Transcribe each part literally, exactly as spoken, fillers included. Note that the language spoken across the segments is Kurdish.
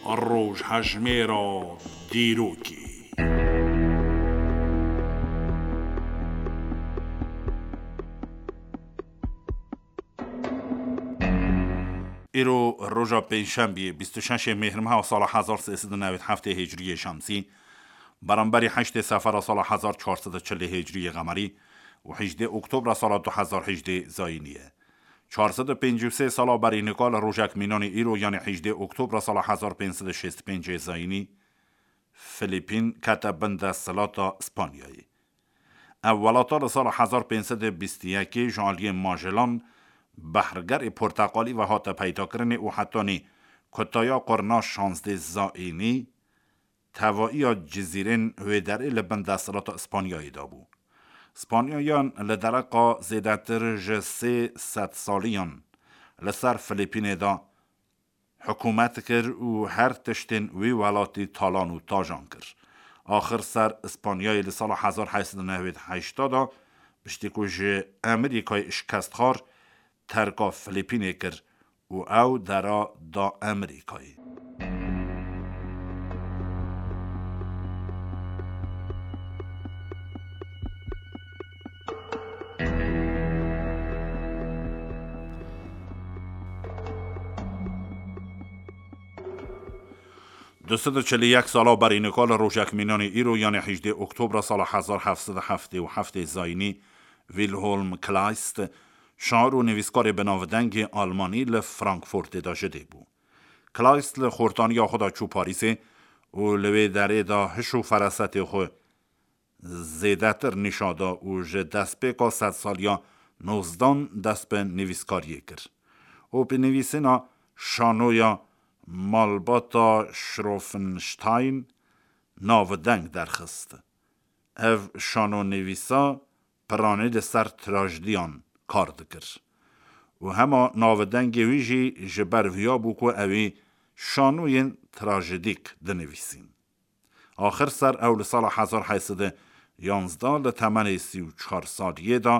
Rojhejmêra dîrokê. Îro roja pêncşembiyê, bîst û şeşê Mêhrmeha sala hezar sê sed û newêd heftê Hicriyê Şemsî, beramberî heştê Sefera sala hezar çar sed û çilê Hicriyê Qemerî û hejdê Oktobra sala du hezar hejdê Zayînî ye. Çar sed û pêncî û sê sala berî nika li rojek mînanê îro, yanî hejdê Oktobra sala hezar pênc sed û şêst û pêncê Zayînî, Filîpîn kete bin desthilata Spanyayê. Ev welata li sala hezar pênc sed û bîst û yekê ji aliyê Magellan behrgerê porteqalî ve hate peydakirinê û hetanî kutaya qurna şazdê Zayînî, tevaiya cizîrên wê derê li bin desthilata Spanyayê de bû. Spanyayan li dereqa zêdetir ji sê sed saliyan li ser Filîpînê de hikûmet kir û her tiştên wî welatî talan û tajan kir. Axir ser Spanyayê li sala hezar heşt sed û newêd heşta de, piştî ku ji Amerîkayê şikest xwar, terka Filîpînê kir û ew dera da Amerîkayê. Du sed û çil û yek sala berî nika li rojek mînanê îro, yanê hejdê Oktobra sala hezar heft sed û heftê û heftê Zayînî, Wilhelm Kleist, şair û nivîskarê bi navdengê Almanî li Frankfurtê de ji dê bû. Kleist li xortaniya xwe de çû Parîsê û li wê derê de hiş û ferasetê xwe zêdetir nîşa da û ji destpêka sedsaliya nozdan dest bi nivîskariyê kir û bi nivîsîna şanoya Malbata Schroffenstein navdeng derxist. Ev şanonivîsa piranî li ser trajediyan kar dikir û hema navdengê wî jî ji ber viya bû ku ewî şanoyên trajedîk dinivîsîn. Axir ser ew li sala hezar heyt sed û yanzdeh li temenê sî û çar saliyê de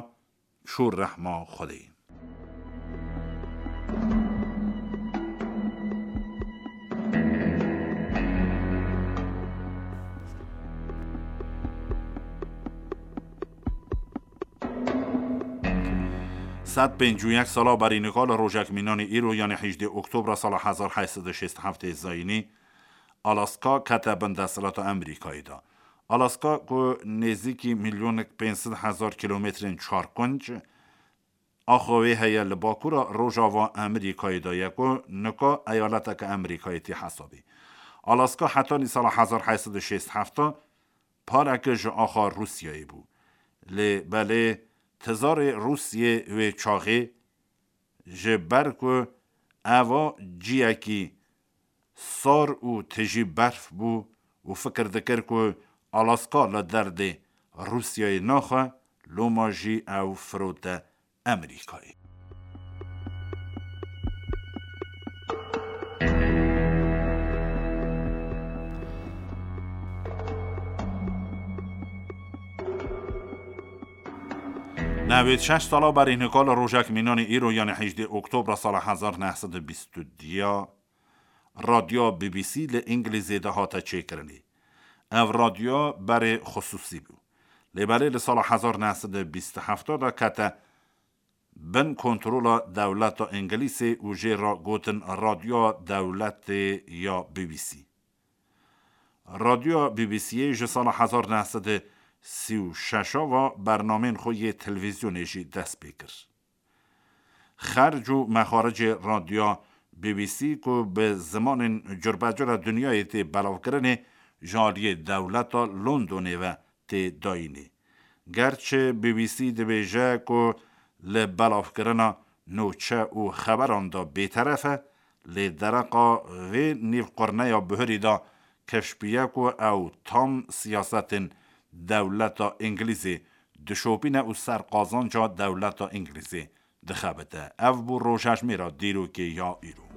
çû rehma Xwedê. Sed pêncî û yek sala berî nika li rojek mînanê îro, yanê hejdê Oktobra sala hezar heyt sed û şêst û heftê Zayînî, Alaska kete bin desthilata Amerîkayê de. Alaska ku nêzîkî milyonek pênc sed hezar kîlometrên çarkunc axa wê heye, li bakura rojava Amerîkayê de ye ku nika eyaleteke Amerîkayê tê hesabê. Alaska hetanî sala hezar heyt sed û şêst û heft pareke ji axa Rûsyayê bû. Lê belê tizarê Rûsyê wê çaxê ji ber ku eva ciyekî sar û tijî berf bû û fikir dikir ku Alaska li derdê Rûsyayê naxe, loma jî ew firote Amerîkayê. Newêd şeş sala berî nika li rojek mînanê îro, yanê hejdê Oktobra sala hezar neh sed û bîst û diya, radyoya B B C li Îngilîzê de hate çêkirinê. Ev radyo berê xisûsî bû. Lê belê li sala hezar neh sed û bîst û heft de kete bin kontrola dewleta Îngilîzê û jê re gotin radyoya dewletê ya B B C. Radyoya B B C'yê ji sala hezar neh sed û sî û şeş ve bernamên xwe yê televîzyonê jî dest pê kir. Xerc û mexaricê radyoya B B C ku bi zimanên curbecura dinyayê tê belavkirinê, ji aliyê dewleta Londonê ve tê dayînê. Gerçi B B C dibêje ku li belavkirina nûçe û xeberan de bêteref e, lê dereqa vê nîvqurneya buhirî de keşfiye ku ew tam siyasetên dewleta Îngilîzê dişopîne û ser qazanca dewleta Îngilîzê dixebite. Ev bû rojhejmêra dîrokê ya îro.